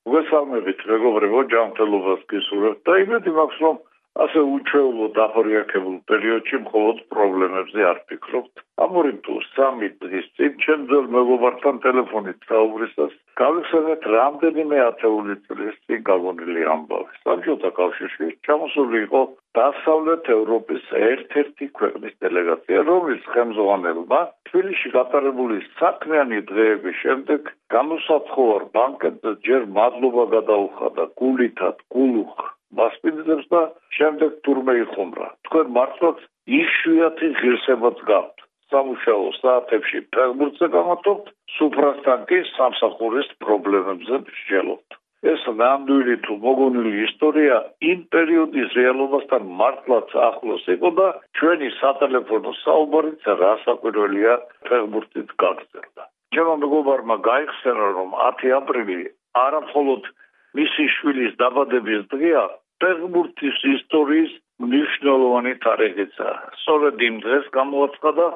მოგესალმებით, მეგობრებო, ჯანმრთელობას გისურვებთ და იმედი მაქვს, რომ ასე უჩვეულო დახორიარებულ პერიოდში მხოლოდ პრობლემებზე არ ფიქრობთ. ამორი თუ 3 დღის წინ ჩემ ძველ მეგობართან ტელეფონით საუბრისას გავიხსენეთ რამდენიმე ათეული წლის წინ გაგონილი ამბავი. საბჭოთა კავშირში ჩამოსული იყო დასავლეთ ევროპის ერთ-ერთი ქვეყნის დელეგაცია, რომლის ხელმძღვანელმა თბილისში გატარებული საქმიანი დღეების შემდეგ გამოსათხოვარ ბანკეტზე ჯერ მადლობა გადაუხადა გულითად გულუხ მასპინძლებს და შემდეგ თურმე იხუმრა. თქვენ მართლაც იშვიათი ღირსებაც გაქვთ. სამუშაო საათებში ფეხბურთზე გამართობთ, სუფრასთან კი სამსახურის პრობლემებზე მსჯელობთ. ეს ნამდვილი თუ მოგონილი ისტორია იმ პერიოდის რეალობასთან მართლაც ახლოს იყო და ჩვენი სატელეფონო საუბარიც რასაკვირველია ფეხბურთით გაგრძელდა. ჩემო მეგობარმა გაიხსენა, რომ 10 აპრილი არა მხოლოდ მისი შვილის დაბადების დღეა, ფეხბურთის ისტორიის მნიშვნელოვანი თარიღია. სწორედ იმ დღეს გამოაცხადა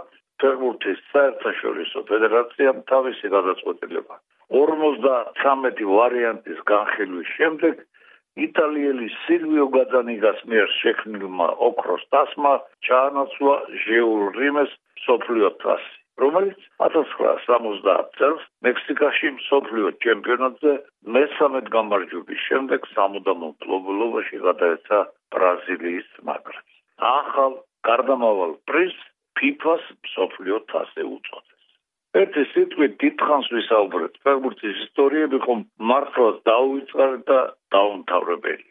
ფეხბურთის საერთაშორისო ფედერაციამ თავისი გადაწყვეტილება. 53 ვარიანტის განხილვის შემდეგ იტალიელი სილვიო გაძანიგას მიერ შექმნილმა ოქროს თასმა ჩაანაცვლა ჟიულ რიმეს მსოფლიო თასი, რომელიც 1970 წელს მექსიკაში მსოფლიო ჩემპიონატზე მესამედ გამარჯვების შემდეგ სამუდამო მფლობელობაში გადაეცა ბრაზილიის ნაკრებს. ახალ გარდამავალ პრიზს FIFA-ს მსოფლიო თასი უწოდეს. ერთი სიტყვით დიდხანს ვისაუბრეთ, ფეხბურთის ისტორიები ხომ მართლაც დაუვიწყარეთ და დაუმთავრებელი.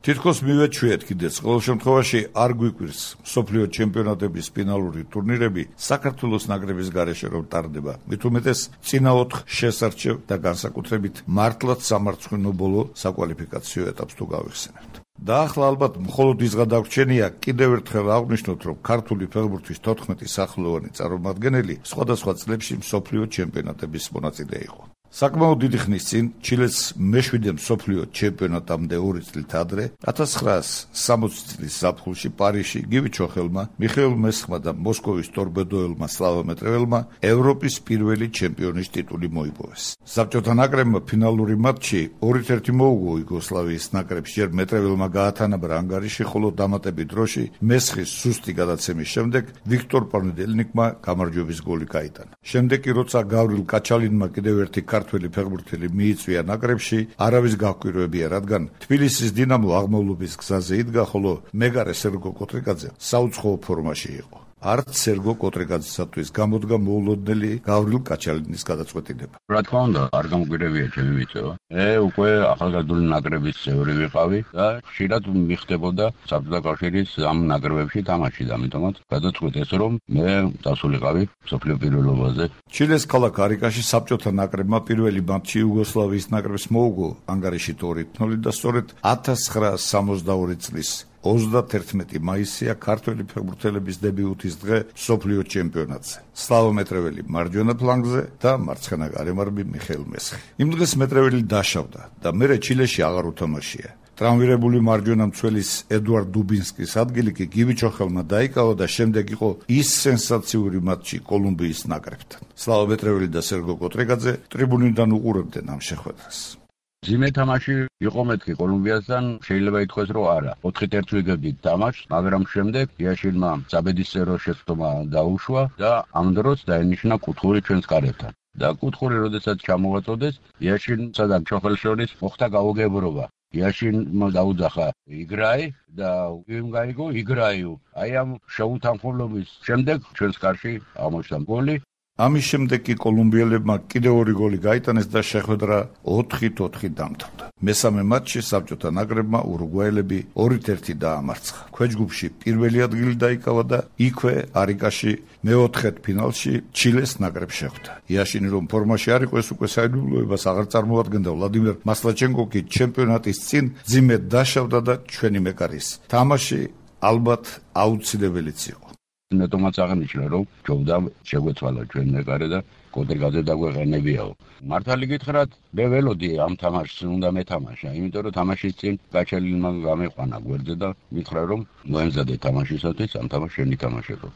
თითქოს მივეჩვიეთ კიდეც, ყოველ შემთხვევაში არ გვიკვირს მსოფლიო ჩემპიონატების ფინალური ტურნირები საქართველოს ნაკრების გარეშე რომ ტარდება. მით უმეტეს წინა 4 შესარჩევ და განსაკუთრებით მართლაც სამარცხვინო ბოლო საკვალიფიკაციო ეტაპს თუ გავიხსენებთ. და ახლა ალბათ მხოლოდ ის გადაგვჩენია კიდევ ერთხელ აღვნიშნოთ, რომ ქართული ფეხბურთის 14 სახელოვანი წარმომადგენელი სხვადასხვა წლებში მსოფლიო ჩემპიონატების მონაწილე იყო. საკმაოდ დიდი ხნის წინ ჩილეს მე-7 მსოფლიო ჩემპიონატამდე 2 წლით ადრე 1960 წლის ზაფხულში პარიზში გივი ჩოხელმა, მიხეილ მესხმა და მოსკოვის ტორპედოელმა სლავა მეტრეველმა ევროპის პირველი ჩემპიონის ტიტული მოიპოვეს. საბჭოთა ნაკრებმა ფინალური მატჩი 2-1 მოუგო იუგოსლავიის ნაკრებს, ჯერ მეტრეველმა გაათანაბრა ანგარიში, ხოლო დამატებით დროში მესხის სუსტი გადაცემის შემდეგ ვიქტორ პარნედელნიკმა გამარჯვების გოლი გაიტანა. შემდეგ კი როცა გავრილ კაჩალინმა კიდევ ერთი ქართველი ფეხბურთელი მიიწვია ნაკრებში, არავის გაგვკვირვებია, რადგან თბილისის დინამო აღმავლობის გზაზე იდგა, ხოლო მეგარე სერგო კოტრიკაძე საუცხოო ფორმაში იყო. არც სერგო კოტრიკაძესათვის გამოდგა მოულოდნელი გავრილ კაჩალინის გადაწყვეტილება. რა თქმა უნდა, არ გამგვირებია ჩემი მიწევა. უკვე ახალგაზრდული ნაკრების წევრი ვიყავი და ხშირად მიხდებოდა საბჭოთა კავშირის ამ ნაკრებებში თამაში და ამიტომაც გადაწყვეტეს, რომ მე დასულიყავი მსოფლიო პირველობაზე. ჩილეს ქალაქ არიკაში საბჭოთა ნაკრებმა პირველი მატჩი იუგოსლავიის ნაკრებს მოუგო ანგარიში 2-0 და სწორედ 1962 წლის 31 მაისია ქართველი ფეხბურთელების დებიუტის დღე მსოფლიო ჩემპიონატზე. სლავა მეტრეველი მარჯვენა ფლანგზე და მარცხენა გარემარბი მიხეილ მესხი. იმ დღეს მეტრეველი დაშავდა და მერე ჩილეში აღარ უთამაშია. ტრამვირებული მარჯვენა მცველის ედუარდ დუბინსკის ადგილი კი გივი ჩოხელმა დაიკავა და შემდეგ იყო ის სენსაციური მატჩი კოლუმბიის ნაკრებთან. სლავა მეტრეველი და სერგო კოტრიკაძე ტრიბუნიდან უყურებდნენ ამ შეხვედრას. ძიმე თამაში იყო მეთქი კოლუმბიასთან, შეიძლება ითქვას, რომ არა. 4-1 ვიგებდით თამაშს, მაგრამ შემდეგ იაშილმა საბედისწერო შეცდომა დაუშვა და ამ დროს დაენიშნა კუთხური ჩვენს კარებთან. და კუთხური როდესაც ჩამოვაწოდეს, იაშილსა და ჩოხელს შორის მოხდა გაუგებრობა. იაშილმა დაუძახა იგრაი და იმ გაიგო იგრაიუ. აი ამ შეუთანხმოების შემდეგ ჩვენს კარში აღმოჩნდა გოლი. ამის შემდეგ კი კოლუმბიელებმა კიდევ 2 გოლი გაიტანეს და შეხვედრა 4-4 დამთავრდა. მესამე მატჩში საბჭოთა ნაკრებმა ურუგვაელები 2-1 დაამარცხა. ქვეჯგუფში პირველი ადგილი დაიკავა და იქვე არიკაში მეოთხედ ფინალში ჩილეს ნაკრებს შეხვდა. იაშინი რომ ფორმაში არ იყო, ეს უკვე საიდუმლოებას აღარ წარმოადგენდა. ვლადიმერ მასლაჩენკო კი ჩემპიონატის წინ ძიმედ დაშავდა და ჩვენი მეკარის თამაში ალბათ აუცილებელიც იყო. ნეტომაც აღნიშნა, რომ ჯობდა შეგვეცვალა ჩვენ მეკარე და კოტრიკაძე დაგვეყენებიაო. მართალი გითხრათ, მე ველოდი ამ თამაშს უნდა მეთამაშა, იმიტომ რომ თამაშის წინ კაჩალინმა გამეყვანა გვერდზე და მითხრა, რომ მოემზადე თამაშისათვის ამ თამაშს შენ ითამაშებო.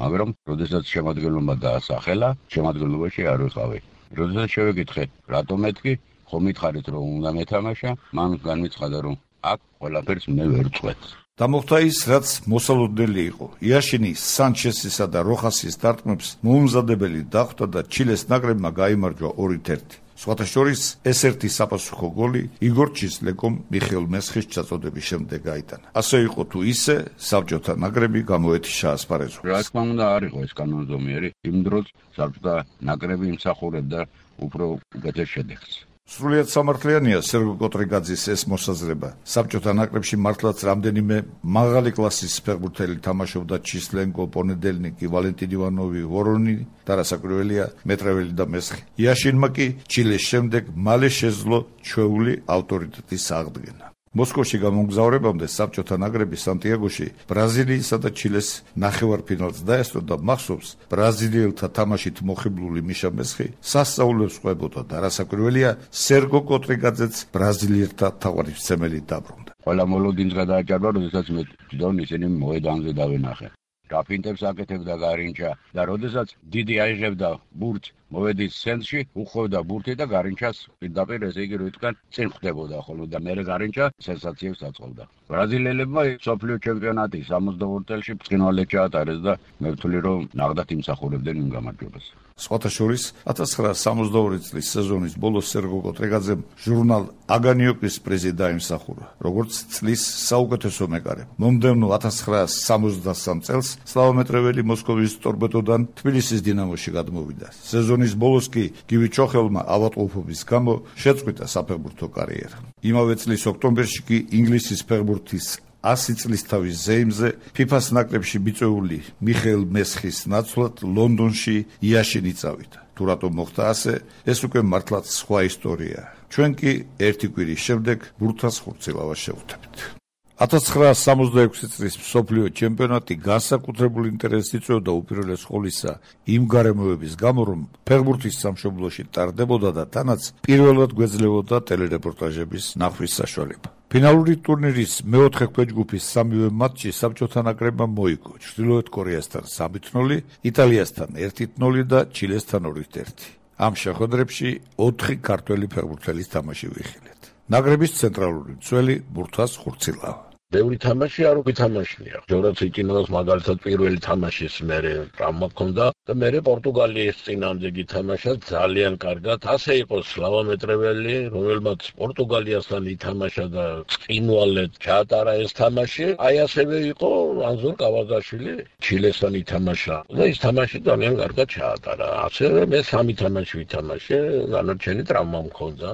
მაგრამ როდესაც შემადგენლობა დაასახელა, შემადგენლობაში არ ვიყავი. როდესაც შევეკითხე, რატომ მეთქი, ხომ მითხარით რომ უნდა მეთამაშა, მან განმეცხადა რომ აქ ყველაფერს მე ვერ წვეთ. დამოხდა ის, რაც მოსალოდნელი იყო. იაშინი სანჩესისა და როხასის დარტყმებს მოუმზადებელი დახვდა და ჩილეს ნაკრებმა გაიმარჯვა 2-1. სხვათა შორის ეს ერთი საპასუხო გოლი იგორ ჩისლეკომ მიხეილ მესხის ჩაწოდების შემდეგ გაიტანა. ასე იყო თუ ისე, საბჭოთა ნაკრები გამოეთიშა ასპარეზობს. რა თქმა უნდა არ იყო ეს კანონზომიერი, იმ დროს საბჭოთა ნაკრები იმსახურებდა უფრო უკეთეს შედეგს. სრულიად სამართლიანია სერგო კოტრიგაძის ეს მოსაზრება. საბჭოთა ნაკრებში მართლაც რამდენიმე მაღალი კლასის ფეხბურთელი თამაშობდა ჩისლენკო, პონედელნიკი, ვალენტინ ივანოვი, ვორონინი და რასაკვირველია მეტრეველი და მესხი. იაშინმა კი ჩილეს შემდეგ მალე შეძლო ჩვეული ავტორიტეტის აღდგენა. მოსკოვში გამომგზავრებამდე საბჭოთა ნაკრები სანტიაგოში ბრაზილიისა და ჩილეს ნახევარფინალს დაესწრო და მახსოვს ბრაზილიელთა თამაშით მოხიბლული მიშა მესხი სასწაულებს ყვებოდა და რასაკვირველია სერგო კოტრიგაძეც ბრაზილიელთა თავარისმცემელი დაბრუნდა. ყველა მოლოდინს გადააჭარბა, როდესაც მე თვითონ ისინი მოედანზე დავენახე. რაფინტებს აკეთებდა გარინჩა და როდესაც დიდი აიღებდა ბურთს მოვედის ცენტრში, უხოვდა ბურთი და გარინჩას პირდაპირ ესე იგი როიტკან წინ ხვდებოდა ხოლმე და მე გარინჩა სენსაციებს აწყობდა. ბრაზილიელებმა მსოფლიო ჩემპიონატის 62 წელში ბრწყინვალედ ჩაატარეს და მე ვთვლი რომ ნახდათ იმსახურებდნენ იმ გამარჯვებას. სხვათა შორის 1962 წლის სეზონის ბოლოს სერგო კოტრიგაძემ ჟურნალ აგანიოკის პრიზი დაიმსახურა, როგორც წლის საუკეთესო მეკარე. მომდევნო 1963 წელს სლავომეტრეველი მოსკოვის ტორპედოდან თბილისის დინამოში გადმოვიდა. სეზონის ბოლოს კი გივი ჩოხელმა ავადმყოფობის გამო შეწყვიტა საფეხბურთო კარიერა. იმავე წლის ოქტომბერში კი ინგლისის ფეხბურთის 100 წლის თავის ზეიმზე ფიფას ნაკრებში მიწვეული მიხეილ მესხის ნაცვლად ლონდონში იაშინი წავიდა. თუ რატომ მოხდა ასე, ეს უკვე მართლაც სხვა ისტორიაა. ჩვენ კი ერთი კვირის შემდეგ ბურთას ხურცილავას შევხვდებით. 1966 წლის მსოფლიო ჩემპიონატი განსაკუთრებული ინტერესს იწვევდა უპირველეს ყოვლისა იმ გარემოების გამო, რომ ფეხბურთის სამშობლოში ტარდებოდა და თანაც პირველად გვეძლეოდა ტელერეპორტაჟების ნახვის საშუალება. ფინალური ტურნირის მეოთხე ქვეჯგუფის სამივე მატჩი საბჭოთა ნაკრებმა მოიგო. ჩრდილოეთ კორეასთან 3-0, იტალიასთან 1-0 და ჩილესთან 2-1. ამ შეხვედრებში 4 ქართველი ფეხბურთელის თამაში ვიხილეთ. ნაკრების ცენტრალური მცველი ბურთას ხურცილავა. ბევრი თამაში არ ვითამაშია. ჯორაც იკინოს მაგალითად პირველი თამაშის მერე ტრამვა ჰქონდა და მერე პორტუგალიის წინამდე გითამაშა ძალიან კარგად. ასე იყო სლავომეტრეველი, რომელმაც პორტუგალიასთან ითამაშა და წინვალედ ჩაატარა ეს თამაში. აი ასევე იყო ანზორ კავაზაშვილი, ჩილესთან ითამაშა და ის თამაში ძალიან კარგად ჩაატარა. ასევე მე 3 თამაში ვითამაშე, განარჩენი ტრამვა მქონდა.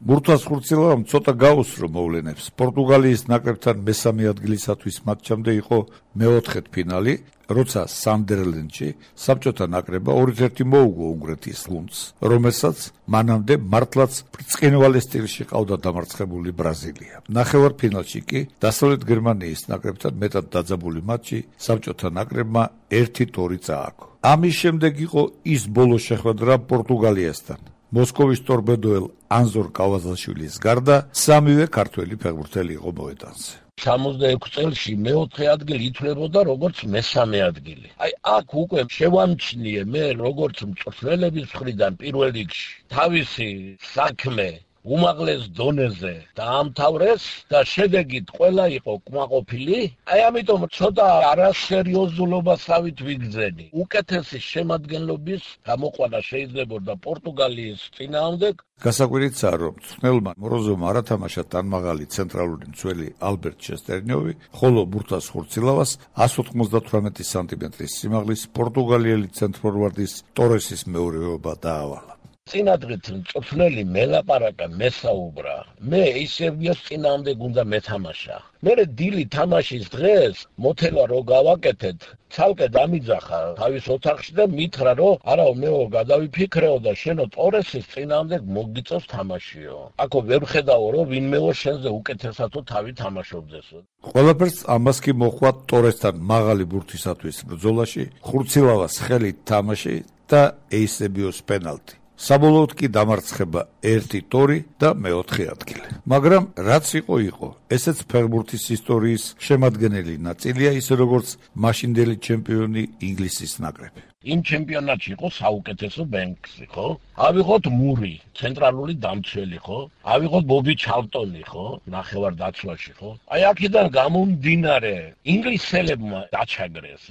ბურთას ხურცილავამ ცოტა გაუსრო მოვლენებს. პორტუგალიის ნაკრებთან მესამე ადგილისათვის მატჩამდე იყო მეოთხედ ფინალი, როცა სანდერლენდში საბჭოთა ნაკრებმა 2-1 მოუგო უნგრეთის გუნდს, რომელსაც მანამდე მართლაც ბრწყინვალე სტილში ყავდა დამარცხებული ბრაზილია. ნახევარფინალში კი დასავლეთ გერმანიის ნაკრებთან მეტად დაძაბული მატჩი საბჭოთა ნაკრებმა 1-2 წააგო. ამის შემდეგ იყო ის ბოლო შეხვედრა პორტუგალიასთან. მოსკოვის ტორპედოელ ანზორ კავაზაშვილის გარდა სამივე ქართველი ფეხბურთელი იყო მოედანზე. 66 წელში მეოთხე ადგილი ითვლებოდა როგორც მესამე ადგილი. აი აქ უკვე შევამჩნიე მე როგორც მწვრთნელების მხრიდან პირველ რიგში თავისი საქმე უმაღლეს დონეზე დაამთავრეს და შედეგით ყველა იყო კმაყოფილი. აი ამიტომ ცოტა არასერიოზულობასავით ვიგრძენი. უკეთესი შემადგენლობის გამოყვანა შეიძლებოდა პორტუგალიის წინააღმდეგ. გასაკვირიცაა, რომ მწვრთნელმა მოროზოვმა არ ათამაშა თანმაღალი ცენტრალური მცველი ალბერტ შესტერნიოვი, ხოლო ბურთას ხურცილავას 198 სანტიმეტრის სიმაღლის პორტუგალიელი ცენტრფორვარდის ტორესის მეურვეობა დაავალა. წინადღით მწვრთნელი მელაპარაკა, მესაუბრა. მე ისევ ის წინააღმდეგ უნდა მეთამაშა. მე დილი თამაშის დღეს მოთელა რო გავაკეთეთ, ცალკე დამიძახა თავის ოთახში და მითხრა, რომ არაო მეო გადავიფიქრეო და შენო ტორესის წინააღმდეგ მოგიწევს თამაშიო. აქო ვერ ხედავო, რომ ვინმეო შენზე უკეთესათო თავი თამაშობდესო. ყველაფერს ამას კი მოხვა ტორესთან მაღალი ბურთისათვის ბრძოლაში, ხურცილავას ხელით თამაში და ეისებიოს პენალტი. საბოლოოდ კი დამარცხება 1-2 და მეოთხე ადგილი. მაგრამ რაც იყო, ესეც ფეხბურთის ისტორიის შემადგენელი ნაწილია, ისე როგორც მაშინდელი ჩემპიონი ინგლისის ნაკრები. იმ ჩემპიონატში იყო საუკეთესო ბენქსი, ხო? ავიღოთ მური, ცენტრალური დამცველი, ხო? ავიღოთ ბობი ჩალტონი, ხო? ნახევარდაცვაში, ხო? აი აქედან გამომდინარე, ინგლისელებმა დაჩაგრეს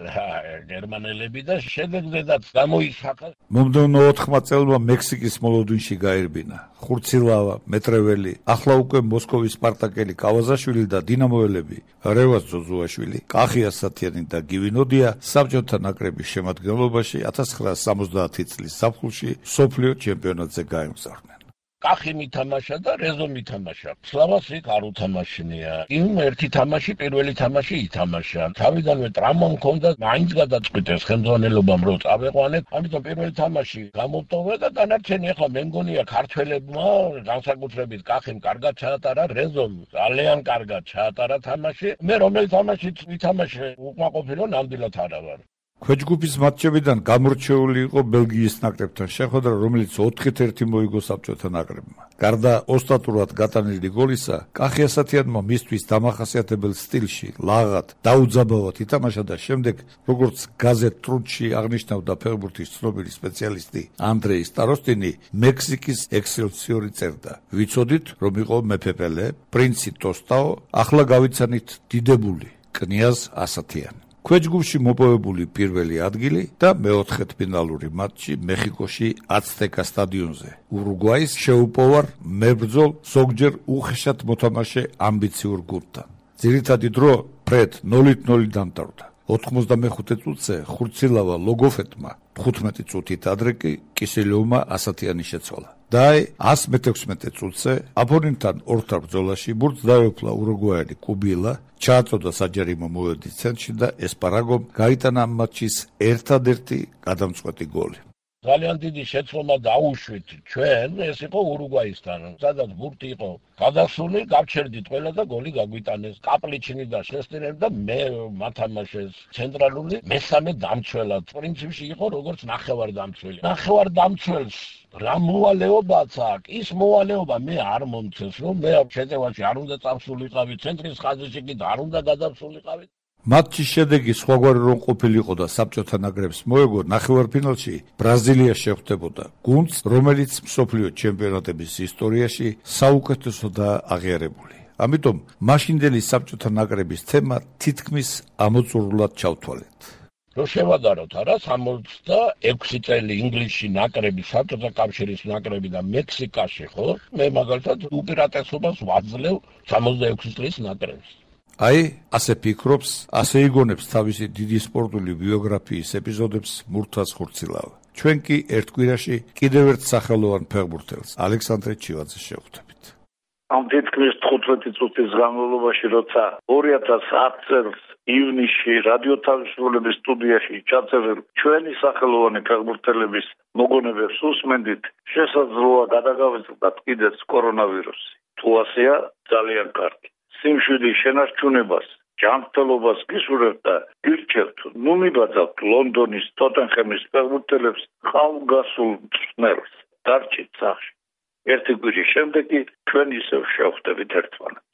გერმანელები და შედეგზედაც გამოისახა. მომდევნო 4 წელმა მექსიკის მოლოდინში გაერბინა ხურცილავა, მეტრეველი, ახლა უკვე მოსკოვის სპარტაკელი კავაზაშვილი და დინამოელები რევაზ ძოძუაშვილი, კახი ასათიანი და გივინოდია საბჭოთა ნაკრების შემადგენლობაში 1970 წლის ზაფხულში მსოფლიო ჩემპიონატზე გაემგზავრნენ. კახი მითამაშა და რეზო მითამაშა. სლავას იქ არ უთამაშნია. იმ ერთი თამაში, პირველი თამაში ითამაშა. თავიდანვე ტრამვა მქონდა, მაინც გადაწყვიტეს ხელმძღვანელობამ რომ წავეყვანეთ. ამიტომ პირველი თამაში გამოვტოვე და დანარჩენი ახლა მე მგონია ქართველებმა განსაკუთრებით კახიმ კარგად ჩაატარა, რეზომ ძალიან კარგად ჩაატარა თამაში. მე რომელი თამაშიც ვითამაშე უკმაყოფილო ნამდვილად არა ვარ. ქვეჯგუფის მატჩებიდან გამორჩეული იყო ბელგიის ნაკრებთან შეხვედრა, რომელიც 4-1 მოიგო საბჭოთა ნაკრებმა. გარდა ოსტატურად გატანილი გოლისა, კახი ასათიანმა მისთვის დამახასიათებელ სტილში, ლაღად, დაუძაბავად ითამაშა და შემდეგ, როგორც გაზეთ ტრუდში აღნიშნავდა ფეხბურთის ცნობილი სპეციალისტი ანდრეი სტაროსტინი, მექსიკის ექსელსიორი წერდა: "ვიცოდით, რომ იყო მეფე პელე, პრინცი ტოსტაო, ახლა გავიცანით დიდებული, კნიაზ ასათიანი." ქვეჯგუფში მოპოვებული პირველი ადგილი და მეოთხედფინალური მატჩი მეხიკოში აცტეკა სტადიონზე. ურუგვაის შეუპოვარ მებრძოლ ზოგჯერ უხეშად მოთამაშე ამბიციურ გუნდთან. ძირითადი დრო ფრედ 0-0 დამტარდა. 95 წუთზე ხურცილავა ლოგოფეტმა 15 წუთით ადრე კი კისელოვმა ასათიანი შეცვალა. და 116 წუთზე აპონენტთან ორთარ ბრძოლაში ბურთს დაეუფლა ურუგვაელი კუბილა, ჩააწოდა საჯარიმო მოედნის ცენტრში და ესპარაგომ გაიტანა ამ მატჩის ერთადერთი გადამწყვეტი გოლი. ძალიან დიდი შეცდომა დაუშვით ჩვენ, ეს იყო ურუგვაისთან, სადაც ბურთი იყო გადასული, გავჩერდით ყველა და გოლი გაგვიტანეს. კაპლიჩინი და შესტინელი და მე მათამაშეს ცენტრალური მესამე დამცველად. პრინციპში იყო როგორც ნახევარდამცველი. ნახევარდამცველს რა მოვალეობაც აქვს, ის მოვალეობა მე არ მომცეს, რომ მე შეტევაში არ უნდა წავსულიყავი, ცენტრის ხაზში კი არ უნდა გადავსულიყავი. მატჩის შედეგი სხვაგვარი რომ ყოფილიყო და საბჭოთა ნაკრებს მოეგო, ნახევარფინალში ბრაზილია შეხვდებოდა გუნდს, რომელიც მსოფლიო ჩემპიონატების ისტორიაში საუკეთესოდაა აღიარებული. ამიტომ მაშინდელი საბჭოთა ნაკრების თემა თითქმის ამოწურულად ჩავთვალეთ. რო შევადაროთ არა 66 წელი ინგლისში ნაკრები, საბჭოთა კავშირის ნაკრები და მექსიკაში, ხო? მე მაგალითად უპირატესობას ვაძლევ 66 წლის ნაკრებს. აი, ასე ფიქრობს, ასე იგონებს თავისი დიდი სპორტული ბიოგრაფიის ეპიზოდებს მურთაზ ხურცილავა. ჩვენ კი ერთ კვირაში კიდევ ერთ სახელოვან ფეხბურთელს, ალექსანდრე ჩივაძეს შევხვდებით. ამ თითქმის 15 წუთის განმავლობაში, როცა 2010 წელს ივნისში რადიო თავისუფლების სტუდიაში ჩაწერილ ჩვენი სახელოვანი ფეხბურთელების მოგონებებს უსმენდით, შესაძლოა გადაგავიწყდათ კიდეც კორონავირუსი. თუ ასეა, ძალიან კარგი. სიმშვიდის შენარჩუნებას, ჯანმრთელობას გისურვებთ და გირჩევთ, ნუ მიბაძავთ ლონდონის ტოტენჰემის ფეხბურთელებს ხალგასულ მწვრთნელს. დარჩით სახლში. ერთი კვირის შემდეგ კი ჩვენ ისევ შევხვდებით ერთმანეთს.